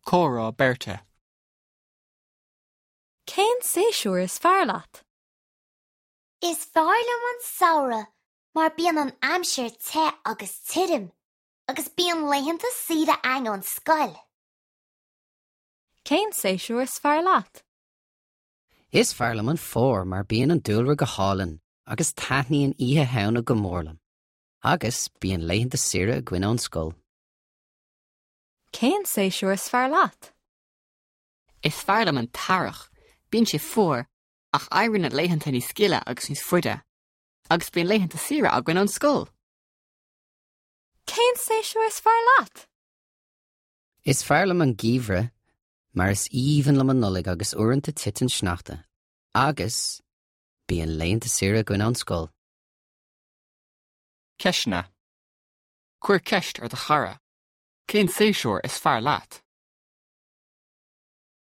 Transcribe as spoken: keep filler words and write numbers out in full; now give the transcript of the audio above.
Comhrá beirte. Cén séasúr is fearr leat? Is fearr liom an samhradh mar bíonn an aimsir te agus tirim, agus bíonn laethanta saoire againn ón scoil. Cén séasúr is fearr leat? Is fearr liom an fómhar mar bíonn an dúlra go hálainn agus taitníonn Oíche Shamhna go mór liom. Agus bíonn laethanta saoire againn ón scoil. Cén séasúr is fearr leat? Is fearr liom an t-earrach, bíonn sé fuar ach éiríonn na laethanta níos gile agus níos faide, agus bíonn laethanta saoire againn ón scoil. Cén séasúr is fearr leat? Is fearr liom an geimhreadh mar is aoibhinn liom an Nollaig agus uaireanta titeann sneachta, agus bíonn laethanta saoire againn ón scoil. Ceisteanna. Cuir ceist ar do chara. Cén séasúr is fearr leat?